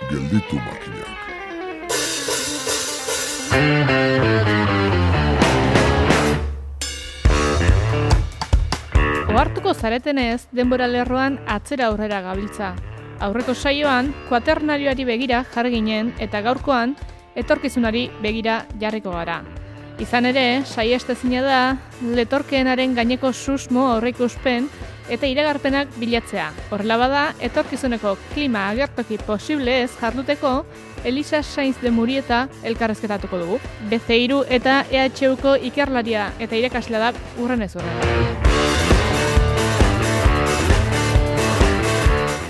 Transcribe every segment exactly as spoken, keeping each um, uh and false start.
gelditu makinak. Ohartuko zaretenez, denbora lerroan atzera aurrera gabiltza. Aurreko saioan, kuaternarioari begira jarri ginen eta gaurkoan, etorkizunari begira jarriko gara. Izan ere, saihestezina da, letorkeenaren gaineko susmo aurreikuspen eta iragarpenak bilatzea. Horrela bada, etorkizuneko klima agertoki posible ez jarduteko, Elisa Sainz de Murieta elkarrezketatuko dugu. B C hiru eta E H Uko ikerlaria eta irakaslea da urrenez urren.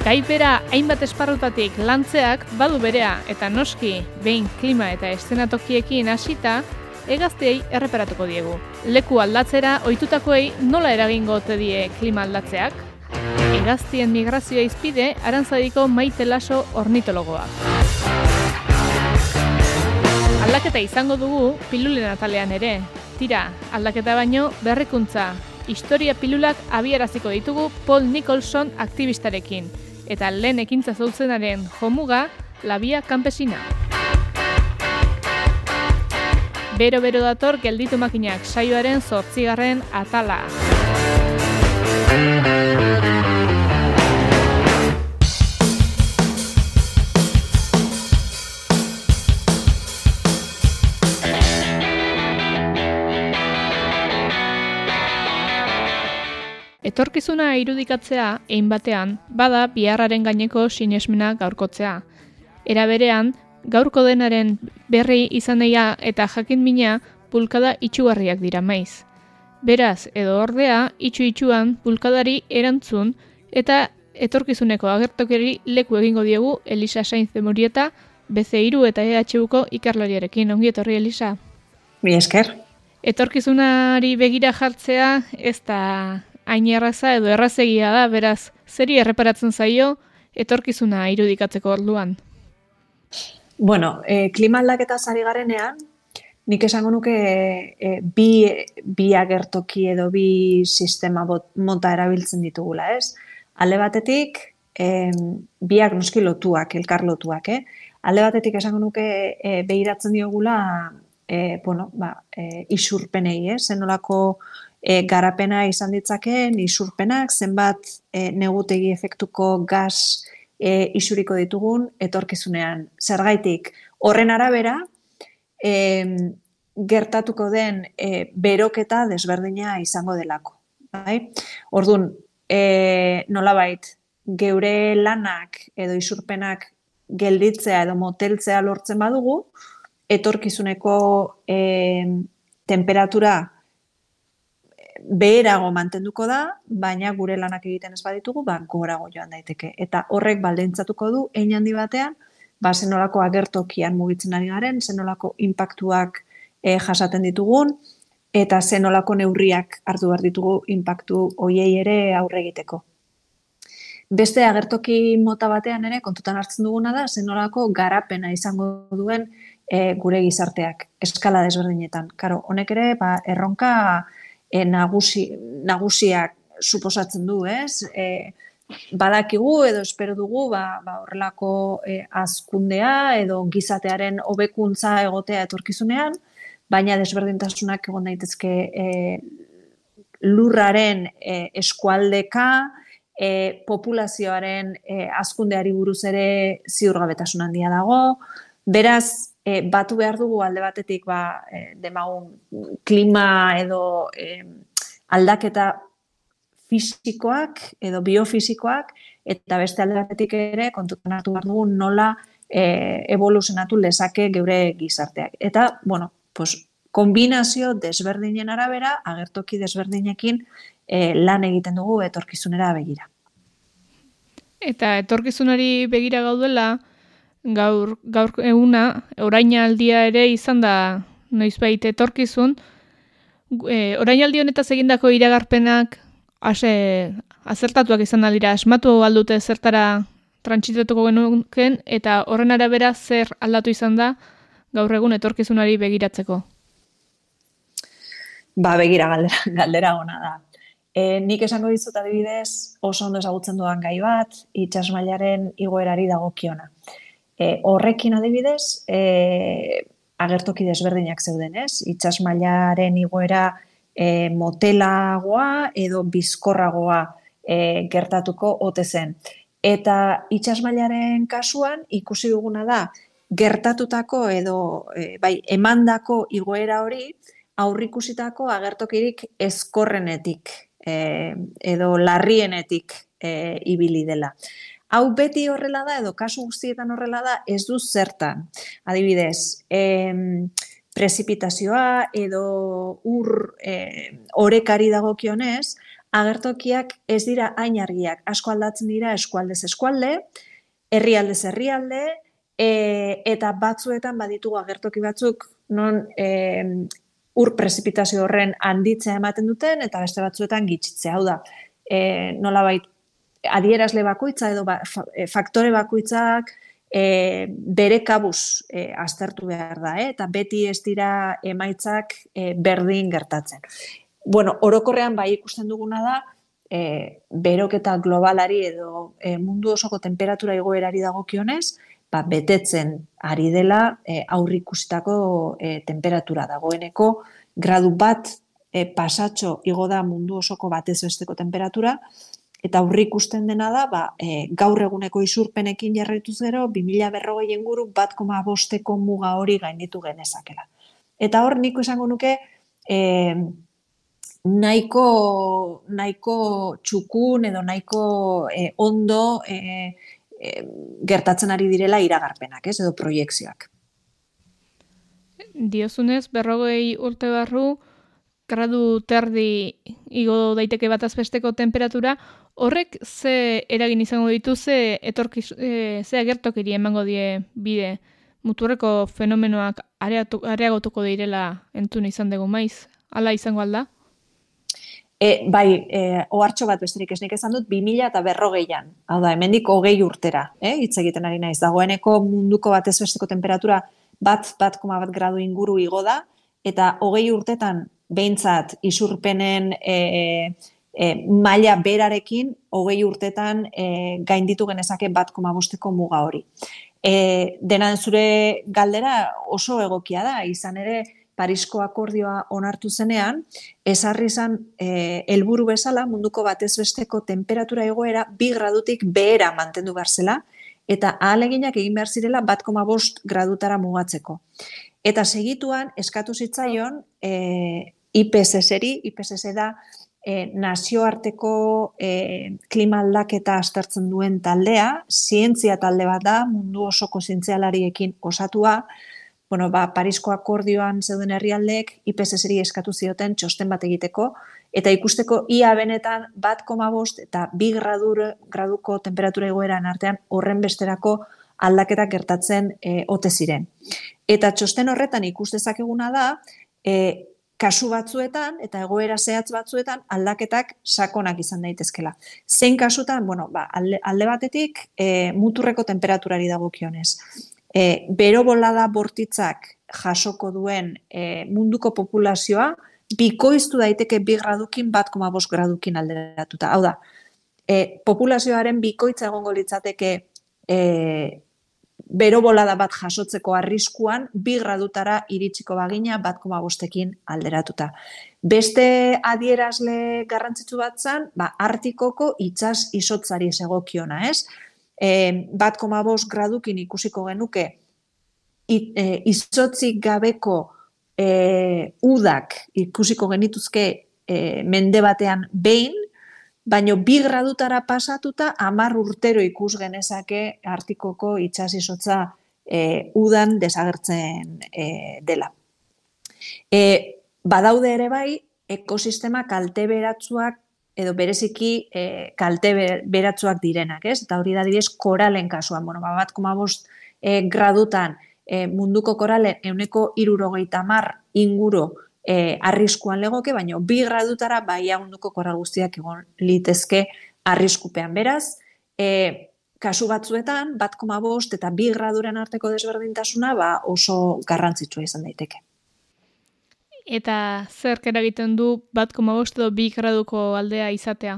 Gaipera hainbat esparrutatik lantzeak badu berea eta noski behin klima eta eszenatokiekin hasita hegazteei erreparatuko diegu. Leku aldatzera ohitutakoei nola eragingo ote die klima aldatzeak? Hegaztien migrazioa izpide Arantzadiko Maite Laso ornitologoak. Aldaketa izango dugu pilulen atalean ere. Tira, aldaketa baino berrikuntza. Historia pilulak abiaraziko ditugu Paul Nicholson aktibistarekin. Eta lehen ekintza zauzenaren jomuga, La Via Campesina. Bero-bero dator gelditu makinak saioaren zortzigarren atala. Etorkizuna irudikatzea, hein batean, bada biharraren gaineko sinesmena gaurkotzea. Era berean, gaurko denaren berri izaneia eta jakin-mina bulkada itsugarriak dira maiz. Beraz, edo ordea, itsu-itsuan bulkadari erantzun eta etorkizuneko agertokeri leku egingo diegu Elisa Sainz de Murieta, B C hiru eta E H Uko ikerlariarekin. Ongi etorri, Elisa. Mi esker. Etorkizunari begira jartzea ez da hain erraza edo errazegia da, beraz, zeri erreparatzen zaio etorkizuna irudikatzeko orduan? Bueno, e, klima aldaketaz ari garenean, nik esango nuke e, bi, bi agertoki edo bi sistema bot, mota erabiltzen ditugula, ez? Alde batetik, e, biak noski lotuak, elkar lotuak, eh? Alde batetik esango nuke e, behiratzen diogula e, bueno, ba, e, isurpenei, eh? Zenolako E, garapena izan ditzakeen, isurpenak, zenbat e, negutegi efektuko gas e, isuriko ditugun etorkizunean. Zergaitik, horren arabera, e, gertatuko den e, beroketa desberdina izango delako. Bai? Orduan, e, nolabait, geure lanak edo isurpenak gelditzea edo moteltzea lortzen badugu, etorkizuneko e, temperatura beherago mantenduko da, baina gure lanak egiten ez baditugu, ba, gorago joan daiteke. Eta horrek baldintzatuko du, hein handi batean, ba, zenolako agertokian mugitzen ari garen, zenolako inpaktuak e, jasaten ditugun, eta zenolako neurriak hartu behar ditugu inpaktu hoiei ere aurre egiteko. Beste agertoki mota batean ere, kontutan hartzen duguna da, zenolako garapena izango duen e, gure gizarteak, eskala desberdinetan. Karo, honek ere, ba, erronka E, nagusi, nagusiak suposatzen du, ez? E, badakigu edo espero dugu ba, ba horrelako e, hazkundea edo gizatearen hobekuntza egotea etorkizunean, baina desberdintasunak egon daitezke e, lurraren e, eskualdeka, e, populazioaren e, hazkundeari buruz ere ziurgabetasun handia dago. Beraz, E, batu behar dugu alde batetik ba, e, demagun klima edo e, aldaketa fisikoak edo biofisikoak eta beste alde batetik ere kontutan hartu behar dugu nola e, evoluzionatu lezake geure gizarteak. Eta, bueno, pues, kombinazio desberdinen arabera, agertoki desberdinekin e, lan egiten dugu etorkizunera begira. Eta etorkizunari begira gaudela, Gaur, gaur eguna, orainaldia ere izan da noizbait etorkizun. E, orainaldi honetaz egindako iragarpenak ase, azertatuak izan da dira, asmatu aldute zertara trantsitatuko genuken, eta horren arabera zer aldatu izan da gaur egun etorkizunari begiratzeko? Ba, begira, galdera, galdera ona da. E, nik esango dizut adibidez oso ondo ezagutzen dudan gai bat, itsasmailaren igoerari dagokiona. E, horrekin adibidez, e, agertoki desberdinak zeuden, ez? Itsas mailaren igoera e, motelagoa edo bizkorragoa e, gertatuko ote zen. Eta itsas mailaren kasuan ikusi duguna da gertatutako edo e, bai emandako igoera hori aurrikusitako agertokirik ezkorrenetik e, edo larrienetik e, ibili dela. Hau beti horrela da edo kasu guztietan horrela da, ez du zertan. Adibidez, em, prezipitazioa edo ur e, orekari dagokionez, agertokiak ez dira hain argiak, asko aldatzen dira eskualdez eskualde, herrialdez herrialde, e, eta batzuetan baditugu agertoki batzuk non e, ur prezipitazio horren handitzea ematen duten eta beste batzuetan gitxitzea. Hau da, e, nolabait adierazle bakoitza edo ba, faktore bakoitzak e, bere kabuz e, aztertu behar da, eh? Eta beti ez dira emaitzak e, berdin gertatzen. Bueno, orokorrean bai ikusten duguna da, e, beroketa globalari edo e, mundu osoko temperatura igoerari dagokionez, ba, betetzen ari dela e, aurrikusitako e, temperatura dagoeneko, gradu bat e, pasatxo igo da mundu osoko batez besteko temperatura, eta aurrikusten dena da, ba, e, gaur eguneko isurpenekin jarraituz gero, bi mila berrogei inguru bat koma bosteko muga hori gainditu genezakela. Eta hor, niko esango nuke, e, nahiko, nahiko txukun edo nahiko e, ondo e, e, gertatzen ari direla iragarpenak, ez, edo proiekzioak. Diozunez, berrogei urte barru, gradu terdi igo daiteke bataz besteko temperatura, horrek ze eragin izango ditu, ze etorkiz, e, ze agertokiri emango die bide muturreko fenomenoak areagotuko direla entzun izan dugu maiz, hala izango alda? E, bai, e, ohartxo bat besterik esnik esan dut, bi mila eta berrogeian, hau da, hemendik hogei urtera, eh, hitz egiten ari naiz, dagoeneko munduko batez besteko temperatura bat, bat koma bat gradu inguru igo da, eta hogei urtetan behintzat isurpenen e, e, maila berarekin hogei urtetan e, gainditu genezake bat koma bosteko muga hori. E, dena zure galdera oso egokia da, izan ere Parisko akordioa onartu zenean, ezarri izan e, helburu bezala munduko batez besteko temperatura egoera bi gradutik behera mantendu behar zela, eta ahaleginak egin behar zirela bat koma bost gradutara mugatzeko. Eta segituan eskatu zitzaion e, I P C C-ri, I P C C da e, nazioarteko e, klima aldaketa aztertzen duen taldea, zientzia talde bat da, mundu osoko zientzialariekin osatua, bueno, ba, Parisko akordioan zeuden herrialdeek I P C C-ri eskatu zioten txosten bat egiteko, eta ikusteko ia benetan bat koma bost eta bi graduko temperatura egoeran artean horren besterako aldaketak gertatzen e, ote ziren. Eta txosten horretan ikus dezakeguna da, e, kasu batzuetan eta egoera zehatz batzuetan aldaketak sakonak izan daitezkela. Zein kasutan, bueno, ba, alde, alde batetik e, muturreko temperaturari dagokionez. E, bero bolada bortitzak jasoko duen e, munduko populazioa bikoiztu daiteke bi gradukin bat koma bost gradukin alderatuta. Hau da, e, populazioaren bikoitza egongo litzateke e, bero bolada bat jasotzeko arriskuan bi gradutara iritsiko bagina bat koma bostekin alderatuta. Beste adierazle garrantzitsu bat zan, ba, Artikoko itsas izotzari segokiona, ez? E, bat koma bost gradukin ikusiko genuke it, e, izotzik gabeko e, udak ikusiko genituzke e, mende batean behin, baina bi gradutara pasatuta hamar urtero ikus genezake Artikoko itsas izotza e, udan desagertzen e, dela. E, badaude ere bai, ekosistema kalte beratsuak edo bereziki e, kalte beratsuak direnak, ez? Eta hori da adibidez koralen kasuan, bueno, bat koma bost e, gradutan e, munduko koralen ehuneko hirurogeita hamar inguru e, arriskuan legoke, baina bi gradutara baia munduko koral guztiak egon litezke arriskupean. Beraz, e, kasu batzuetan bat koma bost eta bi graduren arteko desberdintasuna ba, oso garrantzitsua izan daiteke. Eta zer eragiten du bat koma bost edo bi graduko aldea izatea?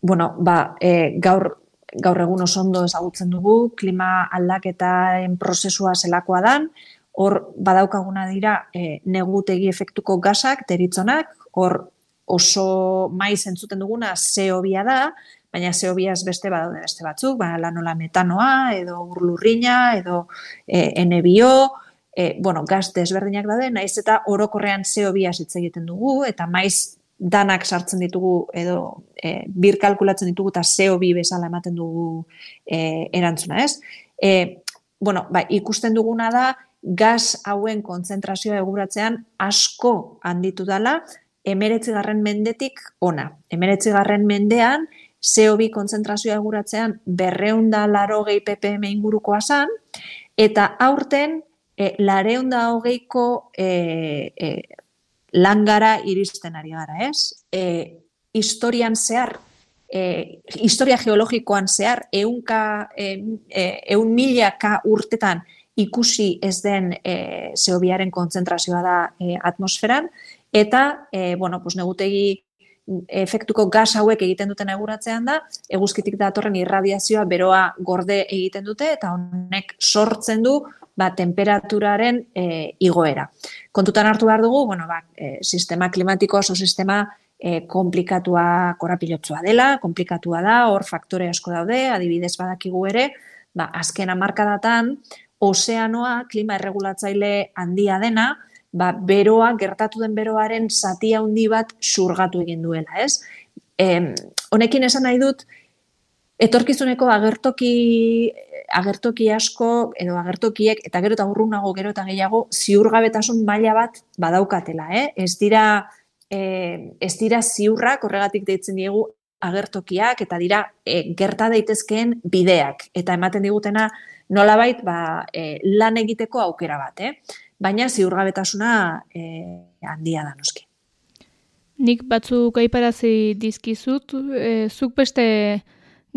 Bueno, ba, e, gaur gaur egun oso ondo ezagutzen dugu, klima aldaketaren prozesua zelakoa dan, hor badaukaguna dira e, negutegi efektuko gasak, deritzonak, hor oso maiz entzuten duguna C O bia da, baina C O bia ez beste badaude beste batzuk, ba, lanola metanoa, edo urlurrina, edo e, N B O, e, bueno, gaz desberdinak daude, naiz eta orokorrean C O bia hitz egiten dugu, eta maiz danak sartzen ditugu, edo e, bir kalkulatzen ditugu, eta C O bi bezala ematen dugu e, erantzuna, ez? E, bueno, ba, ikusten duguna da, gaz hauen kontzentrazioa eguratzean asko handitu dela, emeretzigarren mendetik ona. Emeretzigarren mendean, C O bi kontzentrazioa eguratzean berreun da larogei ppm ingurukoa zan, eta aurten e, lareun da hogeiko e, e, langara iristen ari gara, ez? E, historian zehar, e, historia geologikoan zehar, eunka, e, e, eun milaka urtetan ikusi ez den e, C O biaren kontzentrazioa da e, atmosferan, eta, e, bueno, pues, negutegi efektuko gas hauek egiten duten eguratzean da, eguzkitik datorren irradiazioa beroa gorde egiten dute, eta honek sortzen du ba, temperaturaren e, igoera. Kontutan hartu behar dugu, bueno, ba, e, sistema klimatiko oso sistema e, komplikatua, korapilotsua dela, komplikatua da, hor faktore asko daude, adibidez badakigu ere, ba, azken hamarkadatan, ozeanoa klima erregulatzaile handia dena, ba, beroa, gertatu den beroaren zati handi bat xurgatu egin duela, ez? E, honekin esan nahi dut, etorkizuneko agertoki, agertoki asko, edo agertokiek, eta gero eta urrunago, gero eta gehiago, ziurgabetasun maila bat badaukatela, eh? Ez dira, e, ez dira ziurrak, horregatik deitzen diegu agertokiak, eta dira e, gerta daitezkeen bideak, eta ematen digutena nolabait ba, e, lan egiteko aukera bat, eh? Baina ziurgabetasuna e, handia da noski. Nik batzuk aiparazi dizkizut, e, zuk beste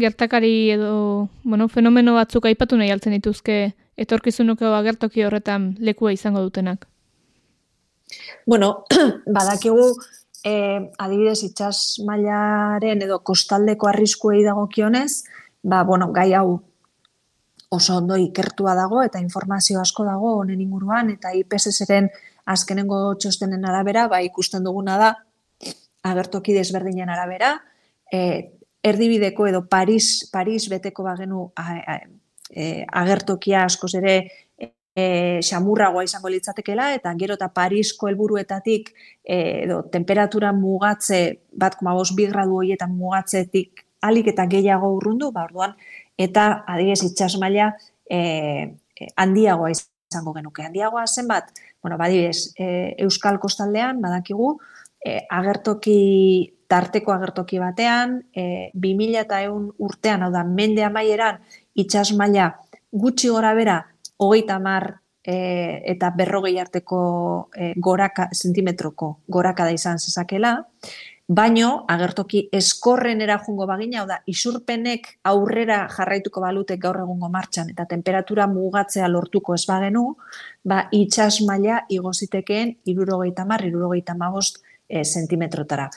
gertakari edo bueno, fenomeno batzuk aipatu nahi altzen dituzke etorkizuneko agertoki horretan lekua izango dutenak. Bueno, badakigu e, adibidez itsas mailaren edo kostaldeko arriskuei dagokionez, ba, bueno, gai hau oso ondo ikertua dago eta informazio asko dago honen inguruan, eta I P C Cren azkenengo txostenen arabera, ba, ikusten duguna da, agertoki desberdinen arabera, e, erdibideko edo Paris, Paris beteko bagenu a, a, e, agertokia askoz ere e, xamurragoa izango litzatekela, eta gero eta Parisko helburuetatik e, edo temperatura mugatze bat koma bost bi gradu horietan mugatzetik alik eta gehiago urrundu, ba, orduan, eta adibidez itsas maila e, handiagoa izango genuke. Handiagoa zenbat? Bueno, badibidez, e, Euskal Kostaldean badakigu e, agertoki tarteko agertoki batean, e, bi mila ehun urtean, hau da, mende amaieran itsas maila gutxi gorabera hogeita hamar e, eta berrogei arteko e, goraka, zentimetroko gorakada izan zezakela, baino agertoki eskorrenera jungo bagina, hau da, isurpenek aurrera jarraituko balutek gaur egungo martxan eta temperatura mugatzea lortuko ez bagenu, ba, itsas maila igo zitekeen hirurogeita hamar, hirurogeita hamabost e, zentimetrotara.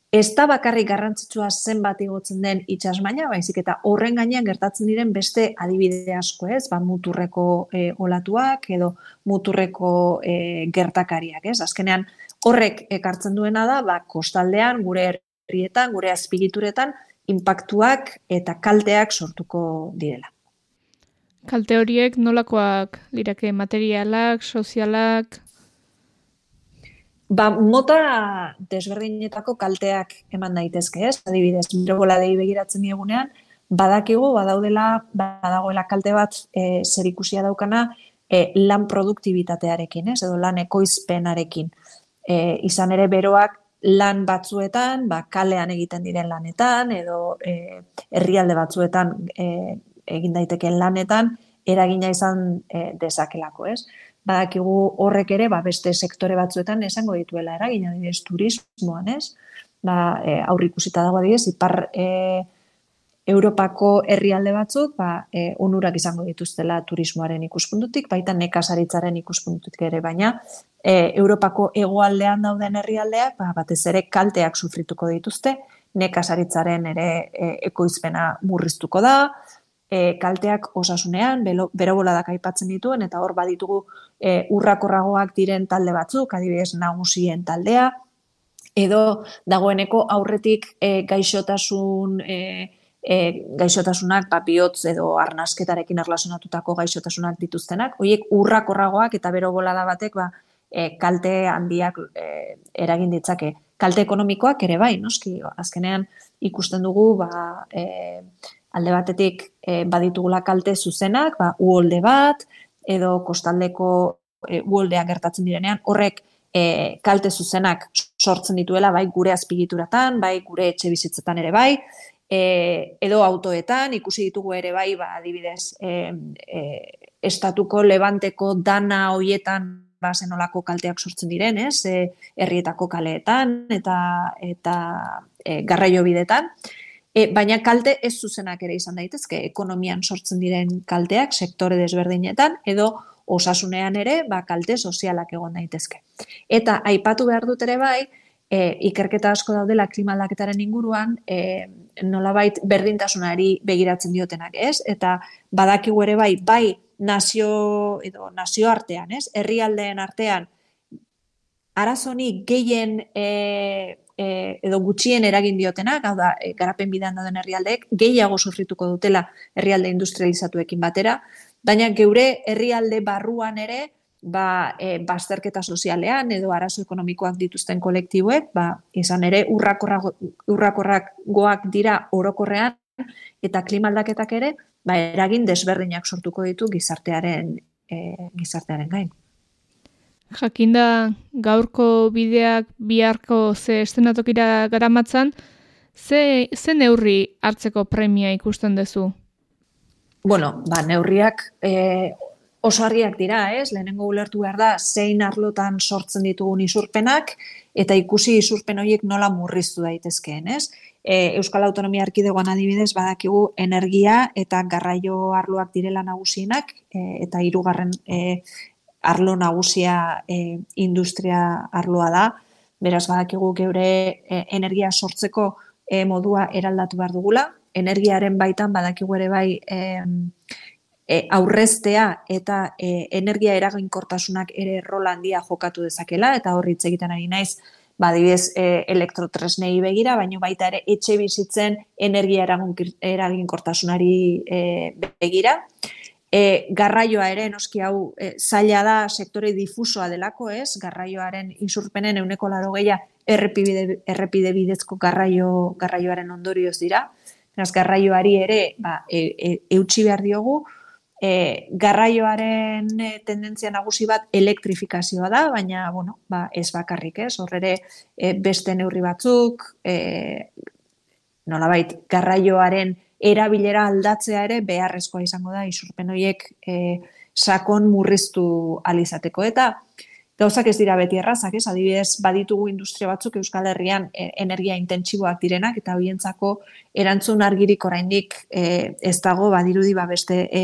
Ez da bakarrik garrantzitsua zenbat igotzen den itsas maila, baizik eta horren gainean gertatzen diren beste adibide asko, ez? Ba, muturreko e, olatuak edo muturreko e, gertakariak, ez? Azkenean horrek ekartzen duena da, ba, kostaldean, gure herrietan, gure azpigituretan, inpaktuak eta kalteak sortuko direla. Kalte horiek nolakoak lirake, materialak, sozialak? Ba, mota desberdinetako kalteak eman daitezke, ez? Adibidez, miroboladei begiratzen diegunean, badakigu, badaudela, badagoela kalte bat e, zerikusia daukana e, lan produktibitatearekin, ez? Edo lan ekoizpenarekin. E, izan ere beroak lan batzuetan, ba, kalean egiten diren lanetan, edo e, herrialde batzuetan e, egin daitekeen lanetan, eragina izan e, dezakelako, ez? Badakigu horrek ere, ba, beste sektore batzuetan esango dituela eragina, adibidez, turismoan, ez? Ba, e, aurrikusita dago adibidez, ipar e, Europako herrialde batzuk, ba, e, onurak izango dituztela turismoaren ikuspuntutik, baita nekazaritzaren ikuspuntutik ere, baina e, Europako hegoaldean dauden herrialdeak, ba, batez ere kalteak sufrituko dituzte, nekazaritzaren ere e, ekoizpena murriztuko da, e, kalteak osasunean, beroboladak aipatzen dituen, eta hor baditugu e, urrakorragoak diren talde batzuk, adibidez nagusien taldea, edo dagoeneko aurretik e, gaixotasun e, e, gaixotasunak, ba, bihotz edo arnasketarekin erlazionatutako gaixotasunak dituztenak, horiek urrakorragoak eta bero bolada batek ba, e, kalte handiak e, eragin ditzake. Kalte ekonomikoak ere bai, noski, azkenean ikusten dugu ba, e, alde batetik e, baditugula kalte zuzenak, ba, uholde bat, edo kostaldeko e, uholdeak gertatzen direnean, horrek E, kalte zuzenak sortzen dituela, bai gure azpigituratan, bai gure etxe bizitzetan ere bai, e, edo autoetan, ikusi ditugu ere bai, ba, adibidez, e, e, estatuko levanteko dana hoietan ba, zenolako kalteak sortzen diren, ez, e, herrietako kaleetan eta, eta e, garraio bidetan, e, baina kalte ez zuzenak ere izan daitezke, ekonomian sortzen diren kalteak, sektore desberdinetan, edo osasunean ere, ba, kalte sozialak egon daitezke. Eta aipatu behar dut ere bai, e, ikerketa asko daudela klima aldaketaren inguruan, e, nolabait berdintasunari begiratzen diotenak, ez? Eta badakigu ere bai, bai nazio edo nazioartean, ez? Herrialdeen artean arazonik gehien e, e, edo gutxien eragin diotenak, hau da, e, garapen bidean dauden herrialdeek gehiago sufrituko dutela herrialde industrializatuekin batera, baina geure herrialde barruan ere, ba, e, bazterketa sozialean edo arazo ekonomikoak dituzten kolektiboek, ba, izan ere urrakorrak, urrakorrak goak dira orokorrean eta klima aldaketak ere, ba, eragin desberdinak sortuko ditu gizartearen, e, gizartearen gain. Jakinda gaurko bideak biharko ze eszenatokira garamatzan, ze, ze neurri hartzeko premia ikusten duzu? Bueno, ba, neurriak e, oso argiak dira, ez? Lehenengo ulertu behar da, zein arlotan sortzen ditugun isurpenak, eta ikusi isurpen horiek nola murriztu daitezkeen, ez? E, Euskal Autonomia Erkidegoan adibidez badakigu energia eta garraio arloak direla nagusienak, e, eta hirugarren e, arlo nagusia e, industria arloa da, beraz badakigu geure e, energia sortzeko e, modua eraldatu behar dugula, energiaren baitan badakigu ere bai e, e, aurreztea eta e, energia eraginkortasunak ere rola handia jokatu dezakela, eta hor hitz egiten ari naiz, ba, adibidez, e, elektrotresnei begira, baino baita ere etxe bizitzen energia eraginkortasunari e, begira. E, garraioa ere, noski hau, e, zaila da sektore difusoa delako, ez? Garraioaren insurpenen ehuneko laurogeia errepide, errepide bidezko garraio, garraioaren ondorioz dira. Beraz, garraioari ere ba, e, e, eutsi behar diogu, e, garraioaren e, tendentzia nagusi bat elektrifikazioa da, baina bueno, ba, ez bakarrik, ez? Hor ere e, beste neurri batzuk, e, nolabait garraioaren erabilera aldatzea ere beharrezkoa izango da isurpen horiek e, sakon murriztu alizateko. Eta gauzak ez dira beti errazak, ez? Adibidez, baditugu industria batzuk Euskal Herrian e, energia intentsiboak direnak, eta horientzako erantzun argirik oraindik e, ez dago, badirudi ba beste e,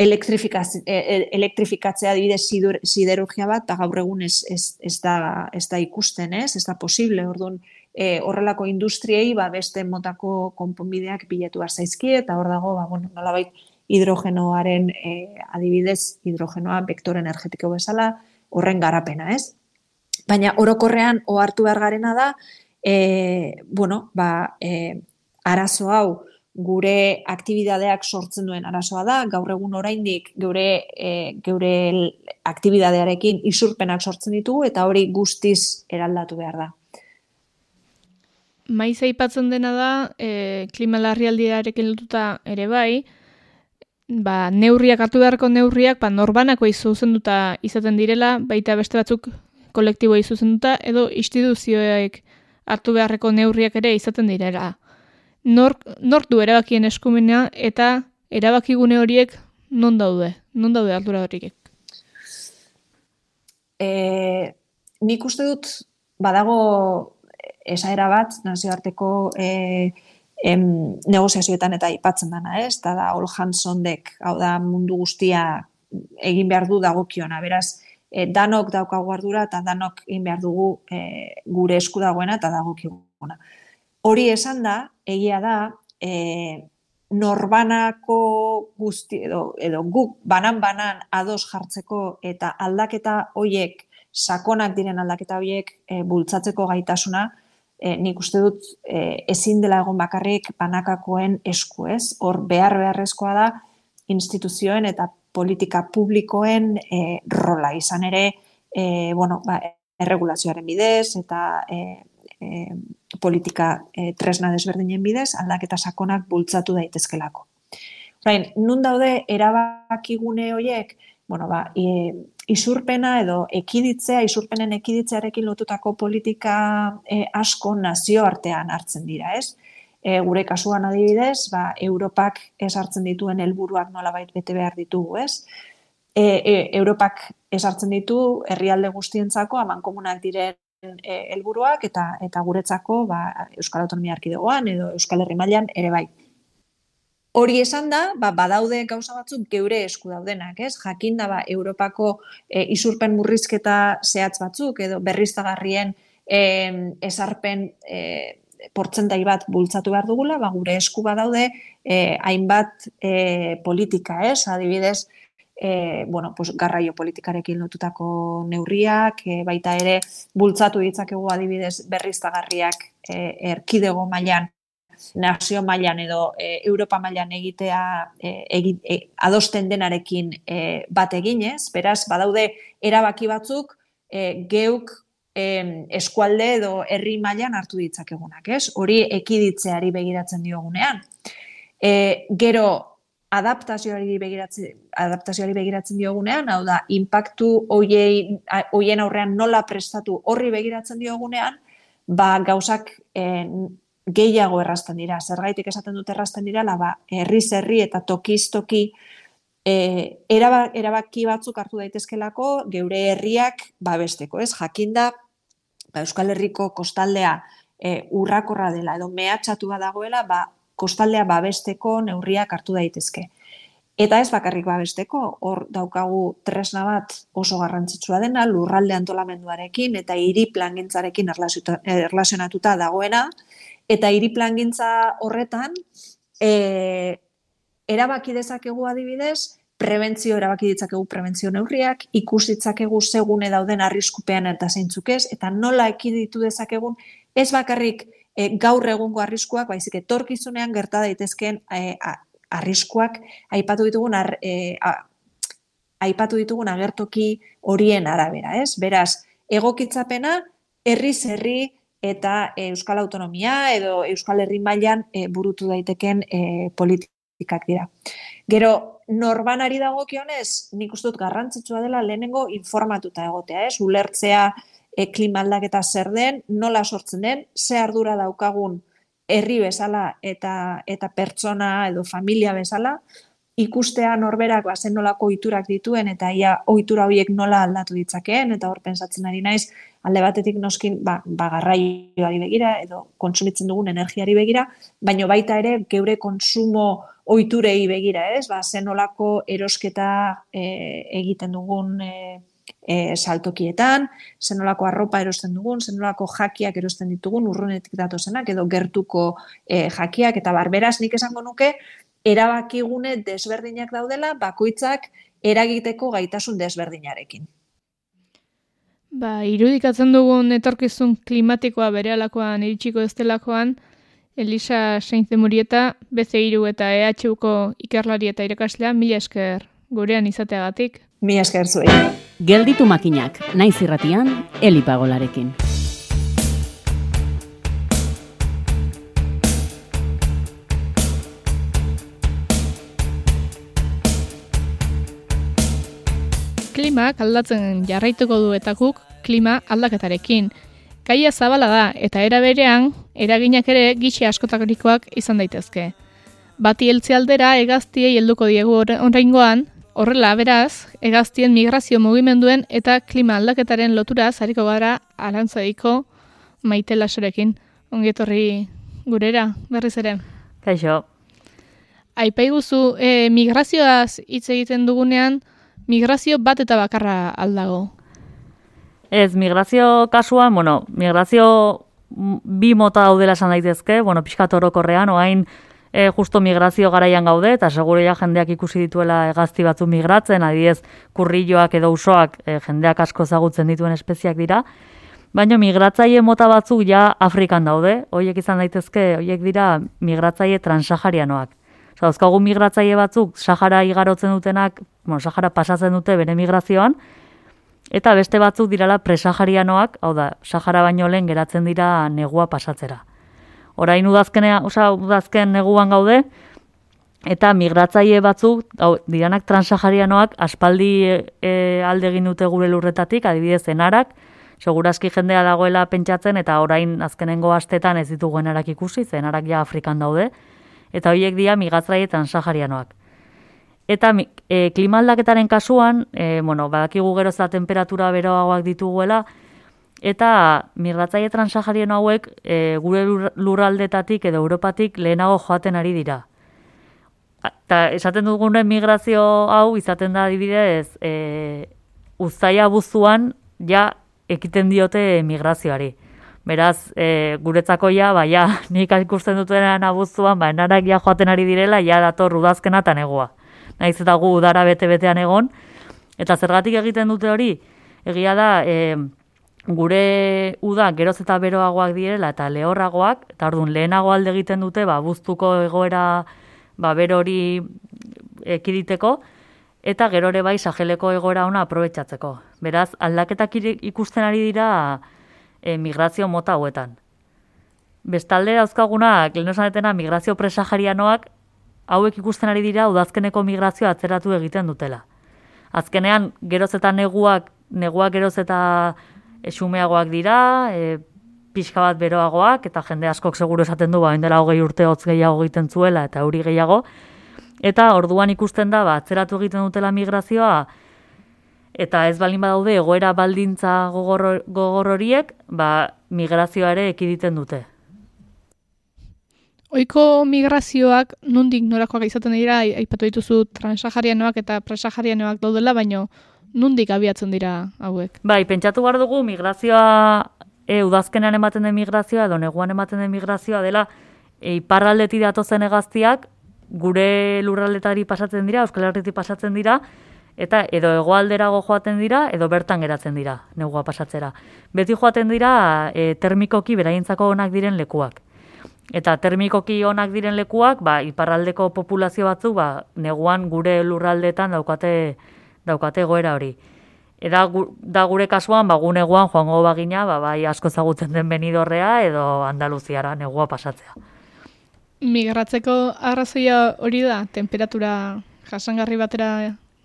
elektrifikaz, e, elektrifikatzea adibidez sider, siderurgia bat, eta gaur egun ez, ez, ez, da, ez da ikusten, ez? Ez da posible, orduan e, horrelako industriei ba beste motako konponbideak bilatu behar zaizkie, eta hor dago, ba, bueno, nolabait hidrogenoaren e, adibidez, hidrogenoa vektore energetiko bezala, horren garapena, ez? Baina orokorrean ohartu behar garena da, e, bueno, ba, e, arazo hau gure aktibidadeak sortzen duen arazoa da, gaur egun oraindik geure, e, geure aktibidadearekin isurpenak sortzen ditugu, eta hori guztiz eraldatu behar da. Maiz aipatzen dena da, e, klima larrialdiarekin lotuta ere bai, ba, neurriak hartu beharko neurriak ba, norbanako zuzenduta izaten direla, baita beste batzuk kolektiboei zuzenduta, edo instituzioek hartu beharreko neurriak ere izaten direla. Nor, nor du erabakien eskumena eta erabakigune horiek non daude? Non daude ardura horiek? E, nik uste dut badago esaera bat nazioarteko e, em, negoziazioetan eta aipatzen dana, ez? Eta da All Hands on Deck, hau da mundu guztia egin behar du dagokiona. Beraz, e, danok daukagu ardura eta danok egin behar dugu e, gure esku dagoena eta dagokiguna. Hori esan da, egia da, e, norbanako guzti edo, edo guk banan-banan ados jartzeko eta aldaketa hoiek, sakonak diren aldaketa hoiek e, bultzatzeko gaitasuna, e, nik uste dut e, ezin dela egon bakarrik banakakoen esku, ez? Hor behar beharrezkoa da instituzioen eta politika publikoen e, rola izan ere, e, bueno, ba, erregulazioaren bidez eta e, E, politika e, tresna desberdinen bidez, aldaketa sakonak bultzatu daitezkelako. Orain, nun daude erabakigune horiek, bueno, ba, e, isurpena edo ekiditzea, isurpenen ekiditzearekin lotutako politika e, asko nazioartean hartzen dira, ez? E, gure kasuan adibidez, ba, Europak ezartzen dituen helburuak nolabait bete behar ditugu, ez? E, e, Europak ezartzen ditu herrialde guztientzako amankomunak diren helburuak eta eta guretzako ba, Euskal Autonomia Erkidegoan edo Euskal Herri mailan ere bai. Hori esan da, ba, badaude gauza batzuk geure esku daudenak, ez? Jakinda ba, Europako e, isurpen murrizketa zehatz batzuk edo berriztagarrien e, esarpen e, portzentai bat bultzatu behar dugula, ba, gure esku badaude e, hainbat e, politika, ez? Adibidez, E, bueno, pues, garraio politikarekin lotutako neurriak, e, baita ere bultzatu ditzakegu adibidez berriztagarriak e, erkidego mailan, nazio mailan edo e, Europa mailan egitea e, egin, e, adosten denarekin e, bat eginez, beraz, badaude erabaki batzuk e, geuk e, eskualde edo herri mailan hartu ditzakegunak, ez? Hori ekiditzeari begiratzen diogunean. E, gero, adaptazioari begiratzen, adaptazioari begiratzen diogunean, hau da, inpaktu hoiei, hoien aurrean nola prestatu horri begiratzen diogunean, ba, gauzak eh, gehiago errazten dira. Zergaitik esaten dut errazten dira, ba, herriz herri eta tokiz toki eh, erabaki batzuk hartu daitezkelako geure herriak babesteko, ez? Jakinda, ba, Euskal Herriko kostaldea eh, urrakorra dela edo mehatxatu dagoela, ba, kostaldea babesteko neurriak hartu daitezke. Eta ez bakarrik babesteko, hor daukagu tresna bat oso garrantzitsua dena, lurralde antolamenduarekin eta hiri plangintzarekin erlazionatuta dagoena, eta hiri plangintza horretan e, erabaki dezakegu adibidez, prebentzio erabaki ditzakegu prebentzio neurriak, ikus ditzakegu segune dauden arriskupean eta zeintzuk ez, eta nola ekiditu dezakegun ez bakarrik E, gaur egungo arriskuak, baizik etorkizunean gerta daitezkeen e, arriskuak aipatu ditugun ar, e, a, aipatu ditugun agertoki horien arabera, ez? Beraz, egokitzapena herriz herri eta e, Euskal Autonomia edo Euskal Herri mailan e, burutu daiteken e, politikak dira. Gero, norbanari dagokionez, nik uste dut garrantzitsua dela lehenengo informatuta egotea, ez? Ulertzea E, klima aldaketa zer den, nola sortzen den, ze ardura daukagun herri bezala eta eta pertsona edo familia bezala, ikustea norberak ba, zen nolako ohiturak dituen eta ia ohitura horiek nola aldatu ditzakeen, eta hor pentsatzen ari naiz, alde batetik noskin ba, ba garraioari begira edo kontsumitzen dugun energiari begira, baina baita ere geure kontsumo ohiturei begira, ez? Ba, zen nolako erosketa e, egiten dugun e, E, saltokietan, zenolako arropa erosten dugun, zenolako jakiak erosten ditugun, urrunetik datozenak, edo gertuko e, jakiak, eta barberaz nik esango nuke, erabakigune desberdinak daudela, bakoitzak eragiteko gaitasun desberdinarekin. Ba, irudikatzen dugun etorkizun klimatikoa berealakoan iritsiko ez delakoan, Elisa Sainz de Murieta, B C hiru eta E H Uko ikerlari eta irakaslea, mila esker gurean izateagatik. Mila esker zuei. Gelditu makinak, naiz irratian, Eli Pagolarekin. Klimak aldatzen jarraituko du eta guk klima aldaketarekin. Gaia zabala da eta era berean eraginak ere gitxe askotakoak izan daitezke. Bati heltze aldera hegaztiei helduko diegu oraingoan. Horrela, beraz, hegaztien migrazio mugimenduen eta klima aldaketaren lotura zariko gara Arantzadiko Maite Lasorekin. Ongietorri gurera, berriz ere. Kaixo. Aipaiguzu, e, migrazioaz hitz egiten dugunean, migrazio bat eta bakarra aldago. Ez, migrazio kasuan, bueno, migrazio bi mota daudela esan daitezke, bueno, pixkat orokorrean, oain e, justo migrazio garaian gaude, eta segurea jendeak ikusi dituela hegazti batzu migratzen, adibidez kurrilloak edo usoak e, jendeak asko ezagutzen dituen espeziak dira, baina migratzaile mota batzuk ja Afrikan daude, horiek izan daitezke, horiek dira migratzaile transaharianoak. Osa, dauzkagu migratzaile batzuk Sahara igarotzen dutenak, bueno, Sahara pasatzen dute bere migrazioan, eta beste batzuk dirala presaharianoak, hau da, Sahara baino lehen geratzen dira negua pasatzera. Orain udazkenea, osa, udazken neguan gaude, eta migratzaile batzuk, hau, diranak transaharianoak, aspaldi e, alde egin dute gure lurretatik, adibidez enarak, segurazki jendea dagoela pentsatzen, eta orain azkenengo astetan ez ditugu enarak ikusi, zenarak ja Afrikan daude, eta horiek dira migratzaile transaharianoak. Eta e, klima aldaketaren kasuan, e, bueno, badakigu gero eta temperatura beroagoak dituguela, eta migratzaile transahariano hauek e, gure lurraldetatik edo Europatik lehenago joaten ari dira. Eta esaten dugunen migrazio hau izaten da adibidez, e, uztaila abuztuan ja ekiten diote migrazioari. Beraz, e, guretzako ja, ba, ja, nik ikusten dutenean abuztuan, ba, enarak ja joaten ari direla, ja dator udazkena eta negua. Naiz eta gu udara bete-betean egon, eta zergatik egiten dute hori, egia da, e, gure uda geroz eta beroagoak direla eta lehorragoak, eta orduan lehenago alde egiten dute, ba, abuztuko egoera, ba, bero hori ekiditeko, eta gero ere bai Saheleko egoera ona aprobetxatzeko. Beraz, aldaketak ikusten ari dira e, migrazio mota hauetan. Bestalde dauzkagunak, lehen esan detena, migrazio presaharianoak, hauek ikusten ari dira udazkeneko migrazioa atzeratu egiten dutela. Azkenean, geroz eta neguak, neguak geroz eta xumeagoak dira, e, pixka bat beroagoak, eta jende askok seguru esaten du, ba, dela hogei urte hotz gehiago egiten zuela, eta euri gehiago, eta orduan ikusten da, ba, atzeratu egiten dutela migrazioa, eta ez balin badaude egoera baldintza gogor, gogor horiek, ba, migrazioa ere ekiditen dute. Ohiko migrazioak nondik norakoak izaten dira, aipatu dituzu transaharianoak eta presaharianoak daudela, baino nondik abiatzen dira hauek? Bai, pentsatu behar dugu migrazioa, e, udazkenean ematen den migrazioa, edo neguan ematen den migrazioa dela, e, iparraldetik datozen hegaztiak, gure lurraldetari pasatzen dira, Euskal Herritik pasatzen dira, eta edo hegoalderago joaten dira, edo bertan geratzen dira, negua pasatzera. Beti joaten dira e, termikoki beraientzako onak diren lekuak. Eta termikoki onak diren lekuak, ba, iparraldeko populazio batzu, ba, neguan gure lurraldetan daukate, daukate goera hori. Eta gu, da gure kasuan, ba, gu neguan joango bagina, ba, bai asko ezagutzen den Benidorrea edo Andaluziara negua pasatzea. Migratzeko arrazoia hori da, temperatura jasangarri batera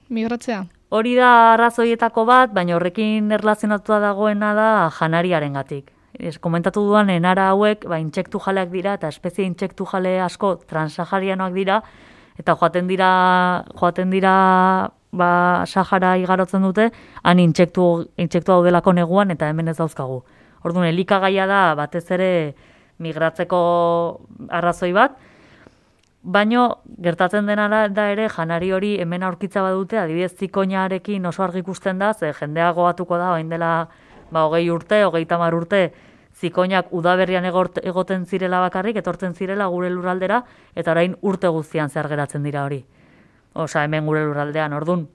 migratzea? Hori da arrazoietako bat, baina horrekin erlazionatua dagoena da janariarengatik. Ez, komentatu duan, enara hauek, ba, intsektu jaleak dira, eta espezie intsektu jale asko transaharianoak dira, eta joaten dira, joaten dira, ba, Sahara igarotzen dute, han intsektu, intsektu daudelako neguan, eta hemen ez dauzkagu. Orduan, elikagaia da, batez ere, migratzeko arrazoi bat, baino gertatzen dena da ere janari hori hemen aurkitza badute, adibidez zikoinarekin oso argi ikusten da, ze jendea gogatuko da, orain dela ba, hogei urte, hogeita hamar urte, zikoinak udaberrian egoten zirela bakarrik, etortzen zirela gure lurraldera, eta orain urte guztian zehar geratzen dira hori. Osa, hemen gure lurraldean, ordun.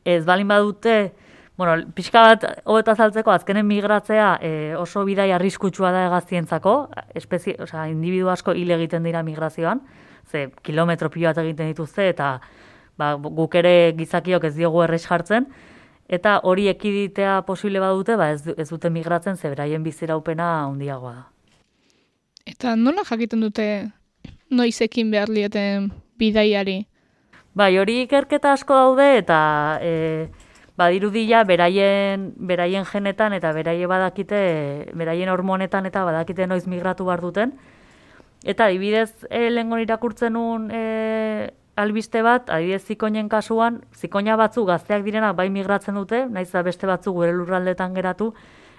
Ez balin badute, bueno, pixka bat hobeto azaltzeko, azkenen migratzea e, oso bidai arriskutsua da hegaztientzako, espezie, osea, individu asko hil egiten dira migrazioan, ze kilometro pilo bat egiten dituzte, eta ba, guk ere gizakiok ez diogu errex jartzen, eta hori ekiditea posible badute, ba ez, ez dute migratzen, ze beraien biziraupena handiagoa da. Eta nola jakiten dute noizekin behar lieten bidaiari? Bai, hori ikerketa asko daude, eta e, badirudia beraien, beraien genetan eta beraie badakite, beraien hormonetan eta badakite noiz migratu behar duten. Eta adibidez, e, lehengon irakurtzen nun e, albiste bat, adibidez zikoinen kasuan, zikoina batzu gazteak direnak bai migratzen dute, naiz da beste batzu gure lurraldetan geratu,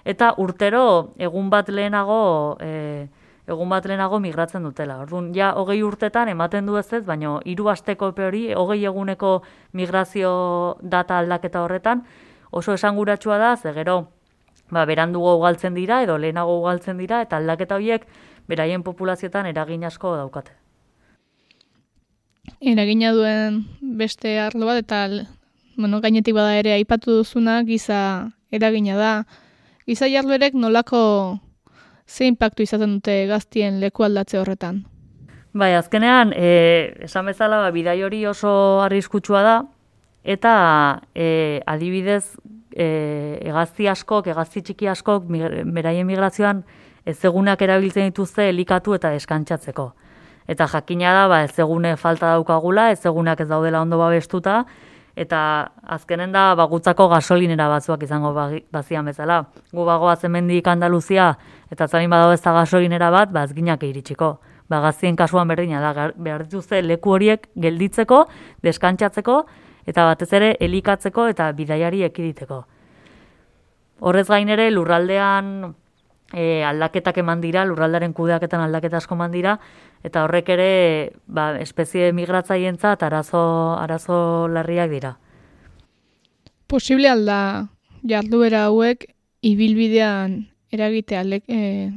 eta urtero egun bat lehenago, e, egun bat lehenago migratzen dutela. Orduan, ja, hogei urtetan ematen du ez ez, baina hiru asteko epe hori, hogei eguneko migrazio data aldaketa horretan, oso esanguratsua da, ze gero, ba, berandugo ugaltzen dira edo lehenago ugaltzen dira eta aldaketa horiek beraien populazioetan eragin asko daukate. Eragina duen beste arlo bat eta bueno, gainetik bada ere aipatu duzuna giza eragina da. Giza jarduerek nolako ze inpaktu izaten dute hegaztien leku aldatze horretan? Bai, azkenean, e, esan bezala, ba, bidai hori oso arriskutsua da, eta e, adibidez, e, hegazti askok, hegazti txiki askok, beraien migrazioan, ezegunak erabiltzen dituzte elikatu eta deskantzatzeko. Eta jakina da, ba, ezegune falta daukagula, ezegunak ez daudela ondo babestuta, eta azkenen da bagutzako gasolinera batzuak izango bazian bezala. Gu bagoaz hemendik Andaluzia, eta zain badago ez da gasolinera bat, ba, ez ginak iritsiko. Ba, gaztien kasuan berdina da, behar dituzte leku horiek gelditzeko, deskantzatzeko, eta batez ere elikatzeko eta bidaiari ekiditeko. Horrez gain ere lurraldean e, aldaketak eman dira, lurraldaren kudeaketan aldaketa asko eman dira, eta horrek ere ba, espezie migratzaientzat arazo, arazo larriak dira. Posible alda jarduera hauek ibilbidean eragitea, e,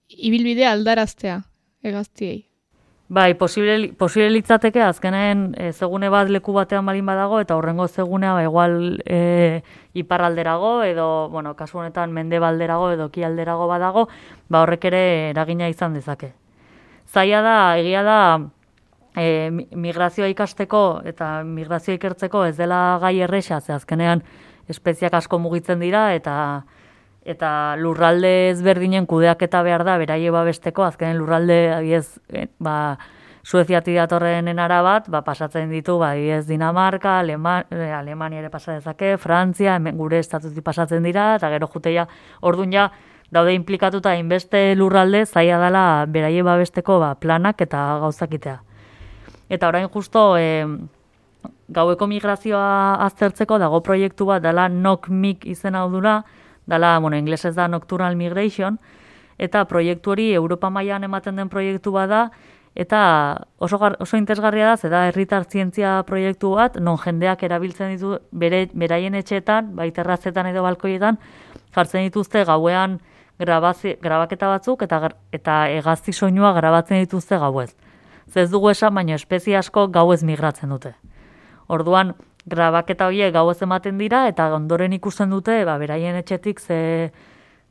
ibilbidea aldaraztea hegaztiei? Bai, posible, posible litzateke azkenen e, zegune bat leku batean balin badago eta horrengo zegunea ba, igual e, iparralderago edo, bueno, kasu honetan mendebalderago edo kialderago badago, ba horrek ere eragina izan dezake. Zaila da, egia da, e, migrazioa ikasteko eta migrazioa ikertzeko ez dela gai erresa, ze azkenean espeziak asko mugitzen dira eta eta lurralde ezberdinen kudeaketa behar da beraie babesteko, azkenen lurralde adiez, ba, Sueziatik datorren enara bat, ba, pasatzen ditu, ba, adiez, Dinamarka, Alema, Alemania ere pasa dezake, Frantzia, hemen gure estatutik pasatzen dira, eta gero juteia, orduan ja, daude implikatuta inbeste lurralde, zaila dela beraie babesteko ba, planak eta gauzakitea. Eta orain justo, e, gaueko migrazioa aztertzeko dago proiektu bat, dela N O C M I C izena dura, dala, bueno, inglesez da Nocturnal Migration, eta proiektu hori Europa mailan ematen den proiektu bada, eta oso, oso interesgarria da, zeda herritar zientzia proiektu bat, non jendeak erabiltzen ditu bere, beraien etxeetan, bai terrazetan edo balkoietan, jartzen dituzte gauean grabazi, grabaketa batzuk, eta, eta hegazti soinua grabatzen dituzte gauez. Ez dugu esan, baina espezie asko gauez migratzen dute. Orduan, grabaketa horiek gauez ematen dira, eta ondoren ikusten dute, ba, beraien etxetik ze,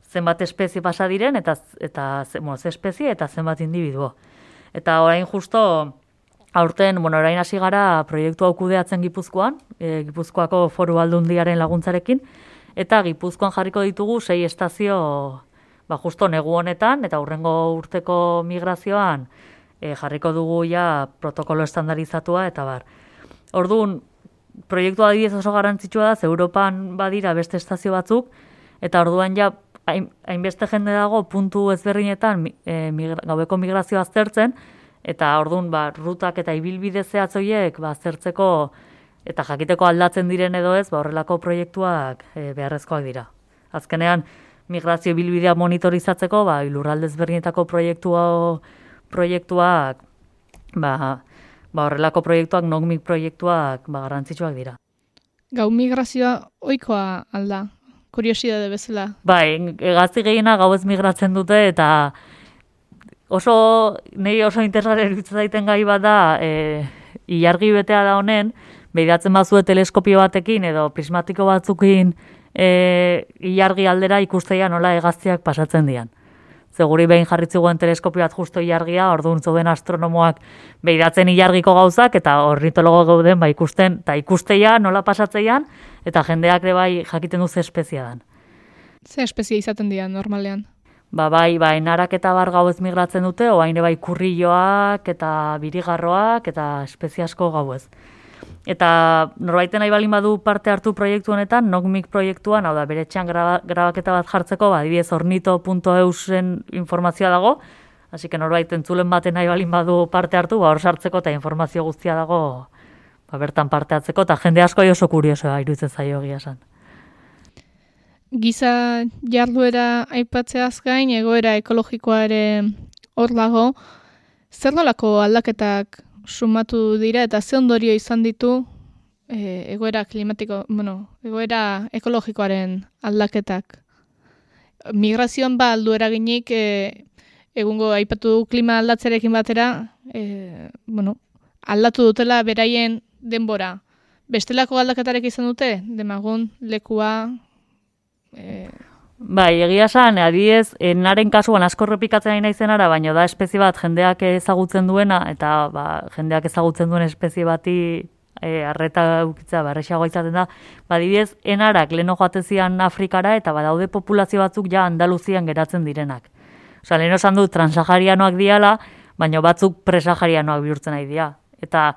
zenbat espezie pasa diren, eta, eta ze, bueno, ze espezie eta zenbat individuo. Eta orain justo, aurten, bueno, orain hasi gara proiektu hau kudeatzen Gipuzkoan, e, Gipuzkoako Foru Aldundiaren laguntzarekin, eta Gipuzkoan jarriko ditugu sei estazio, ba, justo negu honetan, eta hurrengo urteko migrazioan e, jarriko dugu ja protokolo estandarizatua, eta bar. Orduan, proiektu adibidez oso garrantzitsua da, ze Europan badira beste estazio batzuk, eta orduan ja hainbeste jende dago puntu ezberdinetan e, migra, gaueko migrazioa aztertzen, eta orduan ba, rutak eta ibilbide zehatz horiek ba, aztertzeko eta jakiteko aldatzen diren edo ez, ba, horrelako proiektuak e, beharrezkoak dira. Azkenean, migrazio ibilbidea monitorizatzeko, ba, lurralde ezberdinetako proiektua, proiektuak, ba, ba, horrelako proiektuak, N O C M I C proiektuak ba, garrantzitsuak dira. Gau migrazioa ohikoa alda, kuriosidade bezala. Bai, hegazti gehiena gauez migratzen dute, eta oso, nahi oso interesgarria iruditzen zaiten gai bat da, e, ilargi betea da honen, begiratzen bazue teleskopio batekin edo prismatiko batzukin e, ilargi aldera ikustea nola hegaztiak pasatzen dian. Zeguri behin jarritziguen teleskopio bat justo ilargia, orduan zoden astronomoak behiratzen ilargiko gauzak, eta ornitologo gauden ba, ikusten, eta ikusteia nola pasatzeian, eta jendeak ere bai jakiten duz espezia dan. Ze espezia izaten dira normalean? Ba, bai, bai, narak eta bar gauez migratzen dute, oain bai kurrilloak eta birigarroak eta espezia asko gauez. Eta norbaiten nahi balin badu parte hartu proiektu honetan, N O C M I C proiektuan, hau da, bere txan graba, grabaketa bat jartzeko, ba, adibidez ornito punto eusen informazioa dago, hasi que norbait entzulen baten nahi balin badu parte hartu, ba, hor sartzeko eta informazio guztia dago, ba, bertan parte hartzeko, eta jende asko oso kuriosoa iruditzen zaio egia esan. Giza jarduera aipatzeaz gain, egoera ekologikoa ere hor dago, zer nolako aldaketak sumatu dira eta ze ondorio izan ditu e, egoera klimatiko, bueno, egoera ekologikoaren aldaketak migrazioan ba aldu eraginik e, egungo aipatu du klima aldatzearekin batera, e, bueno, aldatu dutela beraien denbora. Bestelako aldaketarik izan dute, demagun, lekua... E... Bai, egia esan, adibidez, enaren kasuan asko errepikatzen ari naizenara, baina da espezie bat jendeak ezagutzen duena, eta ba, jendeak ezagutzen duen espezie bati e, arreta ukitza barrexagoa izaten da, ba, adibidez, enarak leheno joaten zian Afrikara, eta badaude populazio batzuk ja Andaluzian geratzen direnak. Osa, leheno esan du transaharianoak diala, baina batzuk presaharianoak bihurtzen ari dira. Eta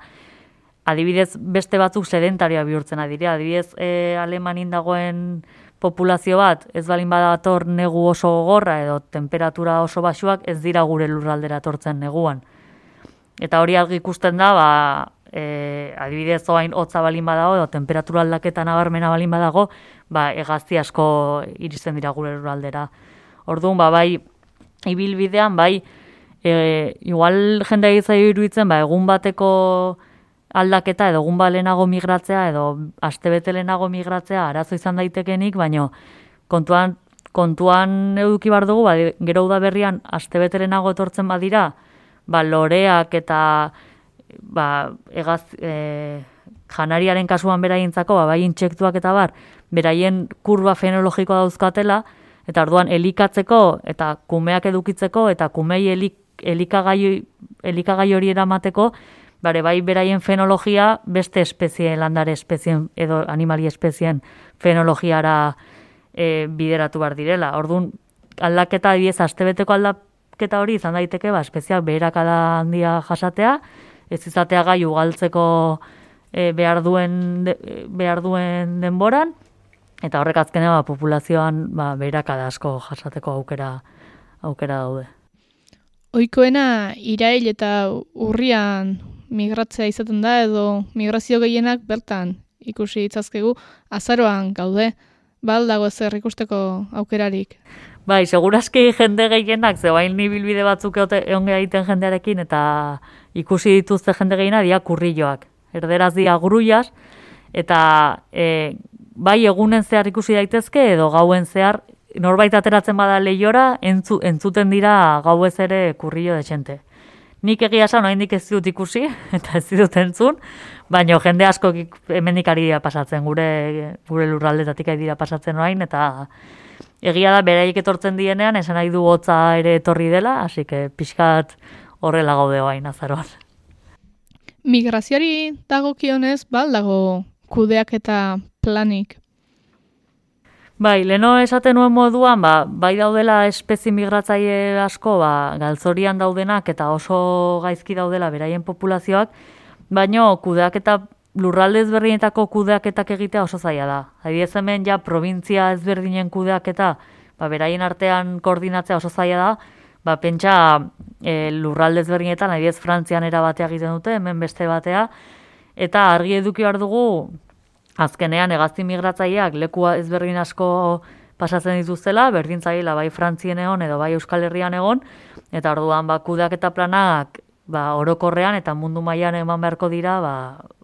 adibidez, beste batzuk sedentarioak bihurtzen ari dira. Adibidez, e, Alemanin dagoen populazio bat, ez balin badator negu oso gogorra edo temperatura oso baxuak, ez dira gure lurraldera etortzen neguan. Eta hori argi ikusten da, ba, e, adibidez, oain hotza balin badago edo temperatura aldaketa nabarmena balin badago, ba, hegazti asko iristen dira gure lurraldera. Orduan, ba, bai, ibilbidean, bai, e, igual jendea izaio iruditzen, ba, egun bateko aldaketa edo egun ba lehenago migratzea edo astebete lehenago migratzea arazo izan daitekenik, baino kontuan kontuan eduki bar dugu, ba, gero uda berrian astebete lehenago etortzen badira, ba, loreak eta ba, egaz, e, janariaren kasuan beraientzako, ba, bai intsektuak eta bar, beraien kurba fenologikoa dauzkatela, eta orduan elikatzeko eta kumeak edukitzeko eta kumei elik, elikagai, elikagai hori eramateko, bare, bai beraien fenologia beste espezie, landare espezien edo animali espezien fenologiara e, bideratu behar direla. Orduan, aldaketa adibidez astebeteko aldaketa hori izan daiteke, ba, espeziak beherakada handia jasatea, ez izatea gai ugaltzeko e, behar, duen, de, behar duen denboran, eta horrek azkenean ba, populazioan ba, beherakada asko jasateko aukera, aukera daude. Ohikoena irail eta urrian migratzea izaten da edo migrazio gehienak bertan ikusi ditzazkegu azaroan gaude, bal dago zer ikusteko aukerarik. Bai, segurazki jende gehienak, ze bain ni bilbide batzuk egon egiten jendearekin eta ikusi dituzte jende gehiena dia kurrilloak. Erderaz dia gruias eta e, bai egunen zehar ikusi daitezke edo gauen zehar norbait ateratzen bada lehiora entzu, entzuten dira gauez ere kurrillo dexente. Nik egia esan oraindik ez dut ikusi eta ez dut entzun, baina jende asko hemendik ari dira pasatzen, gure gure lurraldetatik ari dira pasatzen orain eta egia da beraiek etortzen dienean esan nahi du hotza ere etorri dela, así que pixkat horrela gaude orain azaroan. Migrazioari dagokionez, bal dago kudeak eta planik. Bai, leno esaten nuen moduan, ba, bai daudela espezie migratzaile asko, ba, galtzorian daudenak eta oso gaizki daudela beraien populazioak, baino kudeaketa lurralde ezberdinetako kudeaketak egitea oso zaila da. Adibidez hemen ja provintzia ezberdinen kudeaketa, ba, beraien artean koordinatzea oso zaila da, ba, pentsa e, lurralde ezberdinetan, adibidez Frantzian erabatea egiten dute, hemen beste batea, eta argi eduki behar dugu, azkenean hegazti migratzaileak leku ezberdin asko pasatzen dituztela, berdin zaila bai Frantzien egon edo bai Euskal Herrian egon, eta orduan ba, kudeaketa planak ba, orokorrean eta mundu mailan eman beharko dira ba,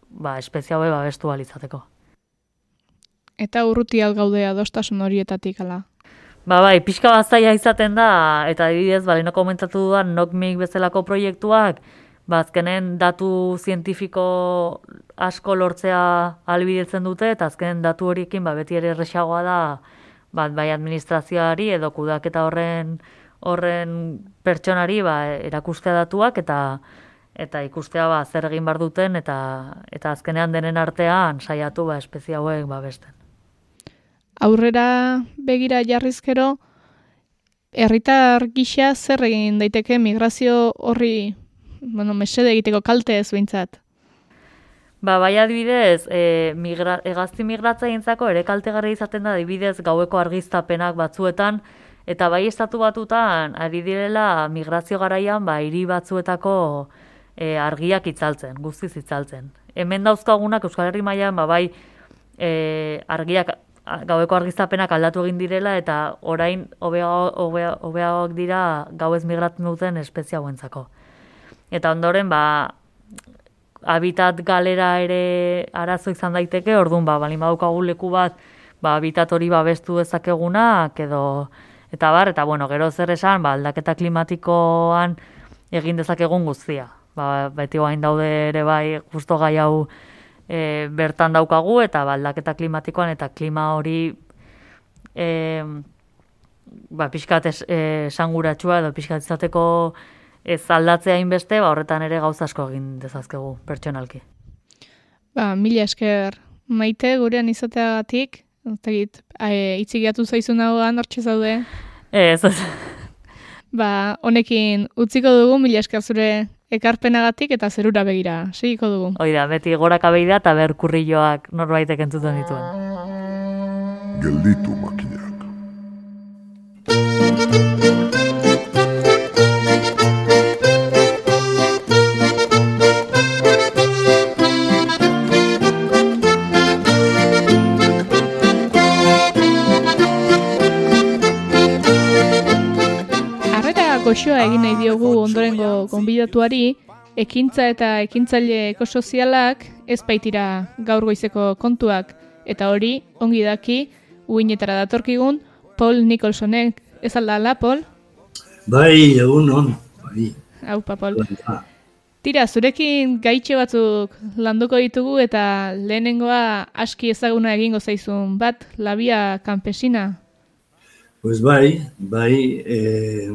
ba, espezie hauek babestu ahal izateko. Eta urruti gaude adostasun horietatik ala? Ba bai, pixka bat zaila izaten da, eta adibidez, ba, leheno komentatu dudan NOCMIC bezalako proiektuak, ba, azkenen datu zientifiko asko lortzea ahalbidetzen dute, eta azkenen datu horiekin ba, beti ere erresagoa da ba, bai administrazioari edo kudeaketa horren horren pertsonari ba, erakustea datuak eta eta ikustea ba, zer egin behar duten eta eta azkenean denen artean saiatu ba, espezie hauek babesten. Aurrera begira jarrizkero, herritar gisa zer egin daiteke migrazio horri bueno, mesede egiteko kalte ez behintzat? Ba, bai adibidez, e, migra, hegazti migratzaileentzako ere kaltegarria izaten da adibidez gaueko argiztapenak batzuetan, eta bai estatu batutan ari direla migrazio garaian ba, hiri batzuetako e, argiak itzaltzen, guztiz itzaltzen. Hemen dauzkagunak Euskal Herri mailan ba, bai e, argiak gaueko argiztapenak aldatu egin direla eta orain hobeagoak dira gauez migratzen duten espezie hauentzako. Eta ondoren, ba, habitat galera ere arazo izan daiteke, orduan, ba, balin badaukagu leku bat, ba, habitat hori babestu dezakegunak, edo, eta bar, eta bueno, gero zer esan, ba, aldaketa klimatikoan egin dezakegun guztia. Ba, beti guain daude ere bai, justo gai hau e, bertan daukagu, eta ba, aldaketa klimatikoan, eta klima hori e, ba, pixkat esanguratsua edo pixkat izateko ez aldatzea inbeste, ba, horretan ere gauza asko egin dezazkegu pertsonalki. Ba, mila esker Maite gurean izateagatik, itxigiatu zaizun hauan, hortxe zaude. Ez, ez. Ba, honekin utziko dugu, mila esker zure ekarpenagatik eta zerura begira, segiko dugu. Oida, beti goraka begira eta ber kurrilloak norbaitek entzuten dituen. Gelditu makinak. Goxoa egin nahi diogu ondorengo gonbidatuari, ekintza eta ekintzaile ekosozialak ez baitira gaur goizeko kontuak, eta hori ongi daki uinetara datorkigun Paul Nicholsonek. Ez alda ala, Paul? Bai, egun on. Bai. Aupa, Paul. Tira, zurekin gaitxe batzuk landuko ditugu eta lehenengoa aski ezaguna egingo zaizun bat, La Via Campesina. Pues bai, bai, eh...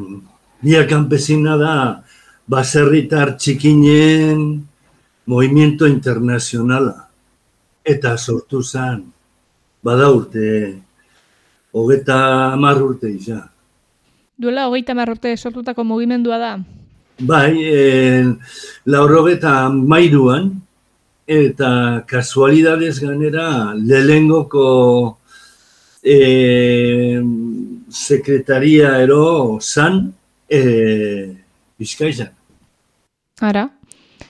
Via Campesina da baserritar txikinen movimiento internazionala. Eta sortu zen, bada urte, hogeita hamar urte izan. Duela hogeita hamar urte sortutako mugimendua da? Bai, e, laurogeta mairuan, eta kasualidadez ganera lehenengoko e, sekretaria ero zan, E, Bizkaizan. Ara.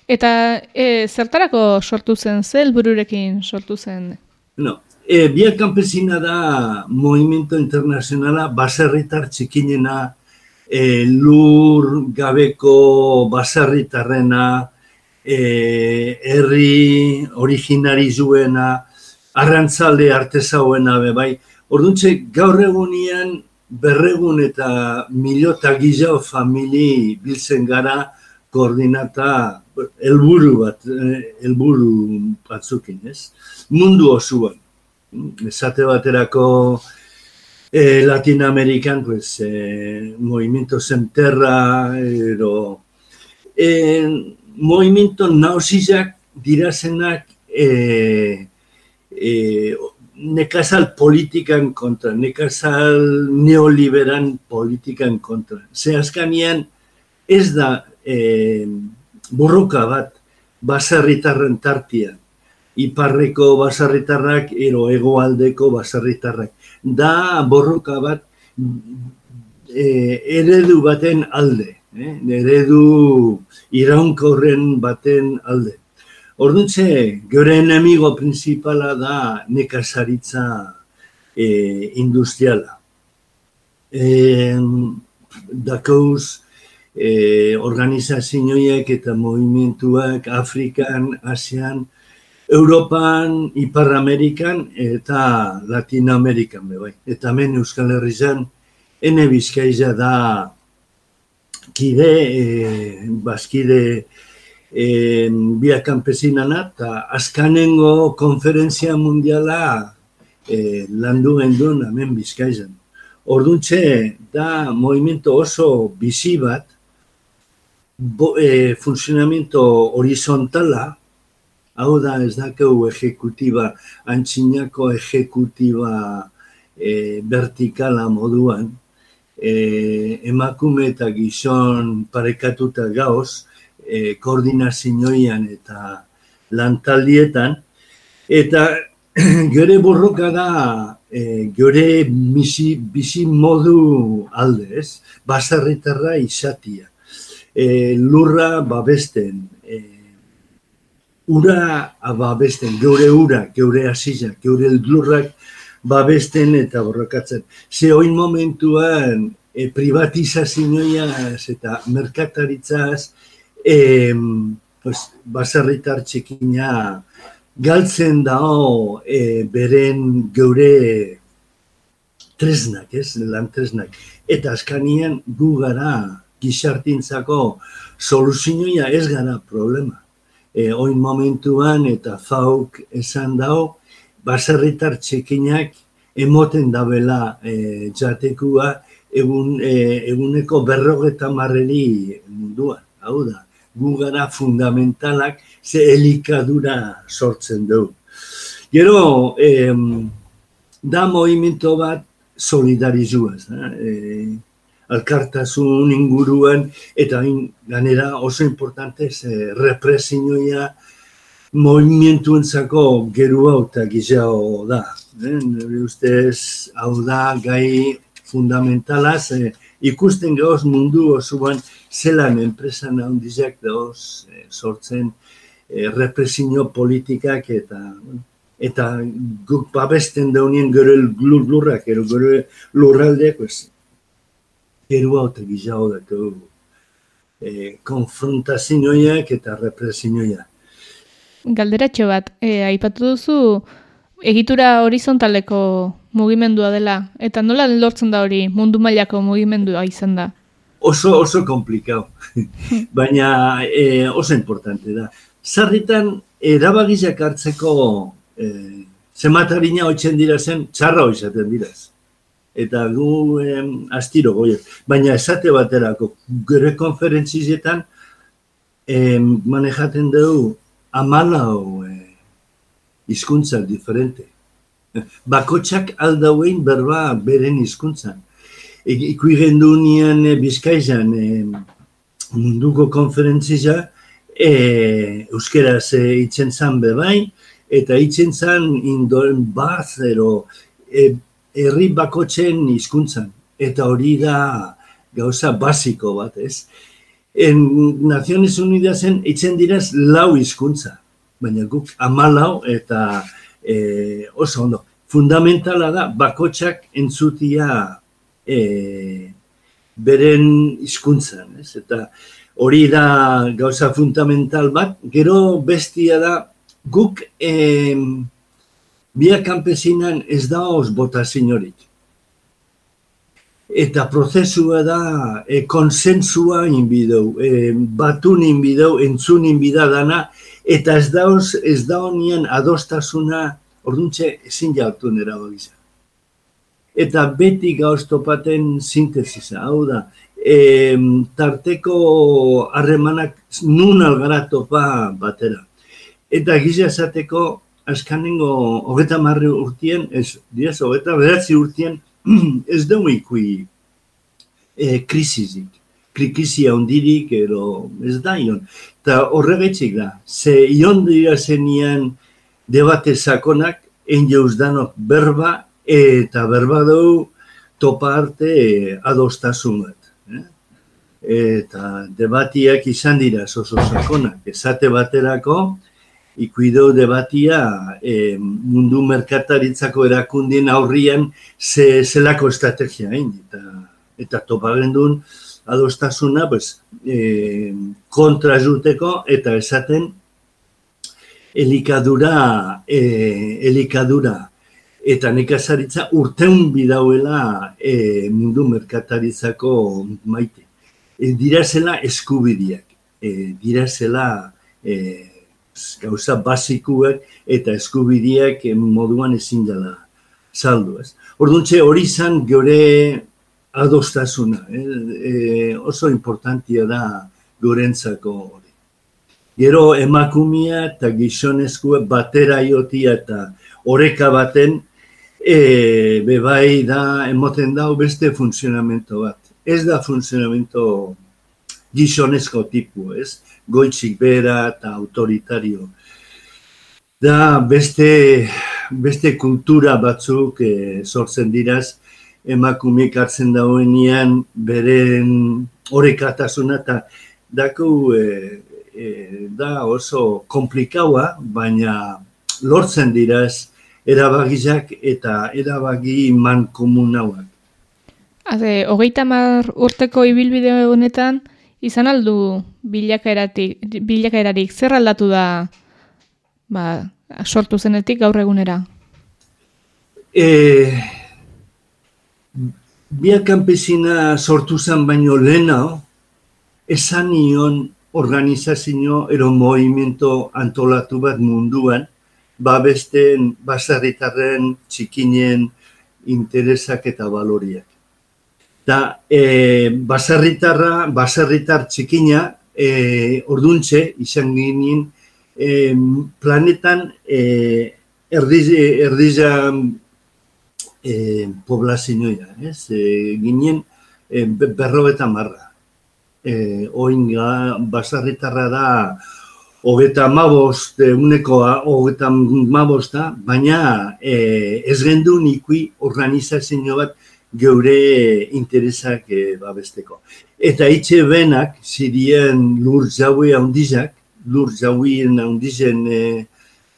Eta e, zertarako sortu zen, ze helbururekin sortu zen? No, e, Via Campesina da movimiento internazionala baserritar txikinena, e, lur gabeko baserritarrena, e, herri originari zuena, arrantzale artezauena bebai. Orduntze, gaur egunian berregun eta milota gizao famili biltzen gara koordinata helburu bat, helburu batzukin, ez? Mundu osoan. Esate baterako eh, Latinoamerikan, pues, eh, Movimiento Semterra, ero, eh, Movimiento Nausizak dirazenak eh, eh, nekazal politikan kontra, nekazal neoliberan politikan kontra. Ze azkanian ez da e, borroka bat baserritarren tartian. Iparreko baserritarrak, ero hegoaldeko baserritarrak. Da borroka bat e, eredu baten alde, eh? Eredu iraunkorren baten alde. Orduntze, gure enemigo principala da nekazaritza e, industriala. E, Dakoz, e, organizazioek eta movimentuak Afrikan, Asian, Europan, Ipar Amerikan eta Latinoamerikan bebai. Eta hemen Euskal Herrian, ene Bizkaiza da kide, e, bazkide, E, Via Campesinana, eta azkanengo konferentzia mundiala e, landu genduen hemen Bizkaizan. Orduntze, da movimiento oso bizi bat, bo, e, funtzionamiento horizontala, hau da ez dakeu ejekutiba, antzinako ejekutiba e, vertikala moduan, e, emakume eta gizon parekatuta gauz, E, koordinazioian eta lantaldietan, eta gure borroka da e, gure bizi, bizi modu alde, ez? Baserritarra izatia. E, lurra babesten, e, ura babesten, geure ura, geure azizak, geure lurrak babesten eta borrokatzen. Ze oin momentuan e, privatizazioiaz eta merkataritzaz, E, pues, baserritar txikina galtzen dao e, beren geure tresnak, ez, lan tresnak. Eta azkanian gu gara gizartintzako soluzioa ez gara problema. E, oin momentuan eta fauk esan dau, baserritar txekinak emoten dabela e, jatekua egun, e, eguneko berrogeta marreri munduan. Hau da, gu gara fundamentalak ze elikadura sortzen dugu. Gero, eh, da movimento bat solidarizua, eh, alkartasun inguruan, eta in, ganera oso importantez eh, represioia movimentuentzako gerua eta gizao da. Eh? Nire ustez, hau da, gai fundamentalaz, eh, ikusten gauz mundu osoan zelan enpresan handizak dauz eh, sortzen eh, represio politikak eta eta guk babesten daunien gero lurrak, gero lurraldeak, gerua eta gizao datu eh, konfrontazioak eta represioak. Galderatxo bat, e, aipatu duzu egitura horizontaleko mugimendua dela, eta nola lortzen da hori mundu mailako mugimendua izan da? Oso, oso komplikau, baina e, oso importante da. Sarritan, erabagizak hartzeko e, zematarina hoitzen dira zen, txarra hoizaten diraz. Eta gu e, astiro goiet. Baina esate baterako, gure konferentzietan e, manejaten dugu amalau e, hizkuntzak diferente. Bakotxak aldauen berba beren hizkuntzan. Ikuigen du nien Bizkaizan e, munduko konferentzia e, euskeraz e, itzen zan bebai, eta itzen zan indoen baz, ero e, herri bakotxen hizkuntzan. Eta hori da gauza basiko bat, ez? En Naciones Unidasen itzen diraz lau hizkuntza, baina guk amalau eta e, oso ondo. Fundamentala da bakotxak entzutia E, beren hizkuntzan, ez? Eta hori da gauza fundamental bat, gero bestia da guk e, biak kanpesinan ez da os botaziorik. Eta prozesua da e, konsensua inbideu, e, batun inbideu, entzun inbida dana, eta ez da os, ez da honien adostasuna orduntxe ezin jartu nera bagizan. Eta beti gauz topaten sintesisa, hau da, e, tarteko harremanak nun algara topa batera. Eta gizia esateko, askanengo hogeta marri urtien, ez, diaz, hogeta beratzi urtien, ez dugu ikui e, krisizik, krikizia ondirik, ero ez da ion. Eta horregaitzik da, ze ion dira zenian debate sakonak, en jauzdanok berba, eta berbadou topa arte adostasun bat. Eh? Eta debatiak izan dira oso sakonak. Esate baterako, ikuideu debatia eh, mundu merkataritzako erakundien aurrian ze, zelako estrategia hain. Eta, eta topa gendun adostasuna pues, eh, kontra juteko eta esaten elikadura, eh, elikadura eta nekazaritza urteun bidauela e, mundu merkataritzako maite. E, dirazela eskubideak, e, dirazela e, gauza basikuak eta eskubideak moduan ezin dela saldu. Ez. Orduntxe hori izan gure adostasuna, eh? e, oso importantia da gorentzako hori. Gero emakumia eta gizonezkoa batera iotia eta oreka baten, E, bebai da, emoten dau beste funtzionamento bat. Ez da funtzionamento gizonezko tipu, ez? Goitzik bera eta autoritario. Da beste, beste kultura batzuk e, sortzen diraz, emakumik hartzen dauenean beren orekatasuna eta daku e, e, da oso komplikaua, baina lortzen diraz erabagizak eta erabagi mankomunauak. Ade, hogeita hamar urteko ibilbide honetan, izan aldu bilakaeratik, bilakaerarik, zer aldatu da ba, sortu zenetik gaur egunera? E, Via Campesina sortu zen baino lehena, esan nion organizazio ero movimento antolatu bat munduan, babesten baserritarren txikinen interesak eta baloriak. Da, e, baserritarra, baserritar txikina, e, orduntxe, izan ginen, e, planetan e, erdiz, erdizan e, poblazioa, ez? E, ginen e, berrogeta marra. E, oinga, baserritarra da hogeta mabost, unekoa hogeta mabosta, baina e, ez gendun ikui organizazio bat geure interesak e, babesteko. Eta itxe benak, zirien lur jaue handizak, lur jauien handizen e,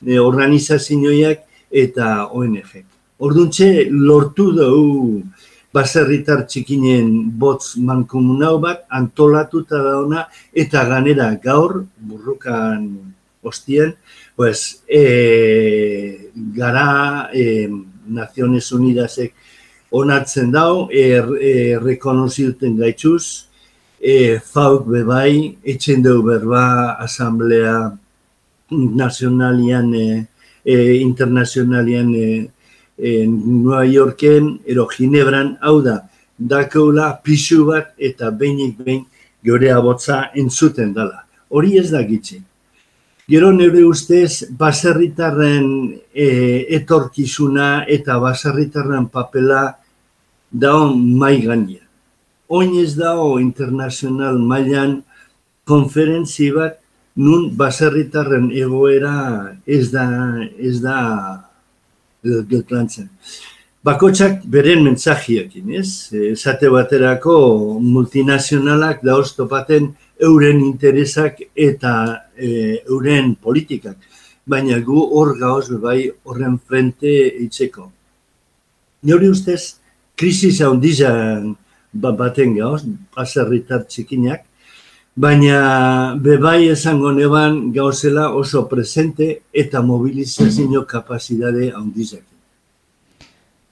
e, organizazioak eta O N G. Orduntxe, lortu dugu baserritar txikinen botz mankomunau bat, antolatuta dauna, eta ganera gaur, burrukan hostien, pues, e, gara e, Naciones Unidasek onartzen dau, er, e, rekonoziuten gaitxuz, e, fauk bebai, etxen deu berba asamblea nazionalian, e, e, internazionalian, e, en Nueva Yorken, ero Ginebran, hau da, dakeula pixu bat eta behinik behin geure abotza entzuten dela. Hori ez da gitzi. Gero nire ustez, baserritarren e, etorkizuna eta baserritarren papela dao mai gainean. Oin ez dao internazional mailan konferentzi bat nun baserritarren egoera ez da, ez da geltlantzen. Bakotxak beren mentzajiekin, ez? Esate baterako multinazionalak dauztopaten euren interesak eta e, euren politikak. Baina gu hor gauz bebai horren frente itzeko. Nire ustez, krisis handizan baten gauz, baserritar txikinak, baina bebai esango neban gauzela oso presente eta mobilizazio kapazidade handizak.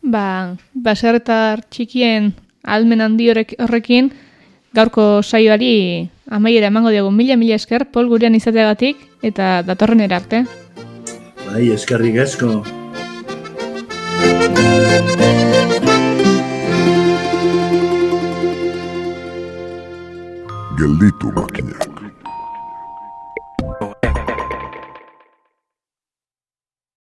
Ba, baserritar txikien ahalmen handi horrekin, gaurko saioari amaiera emango diogu. Mila mila esker, Pol, gurean izateagatik eta datorren arte. Bai, eskerrik asko. Gelditu makina.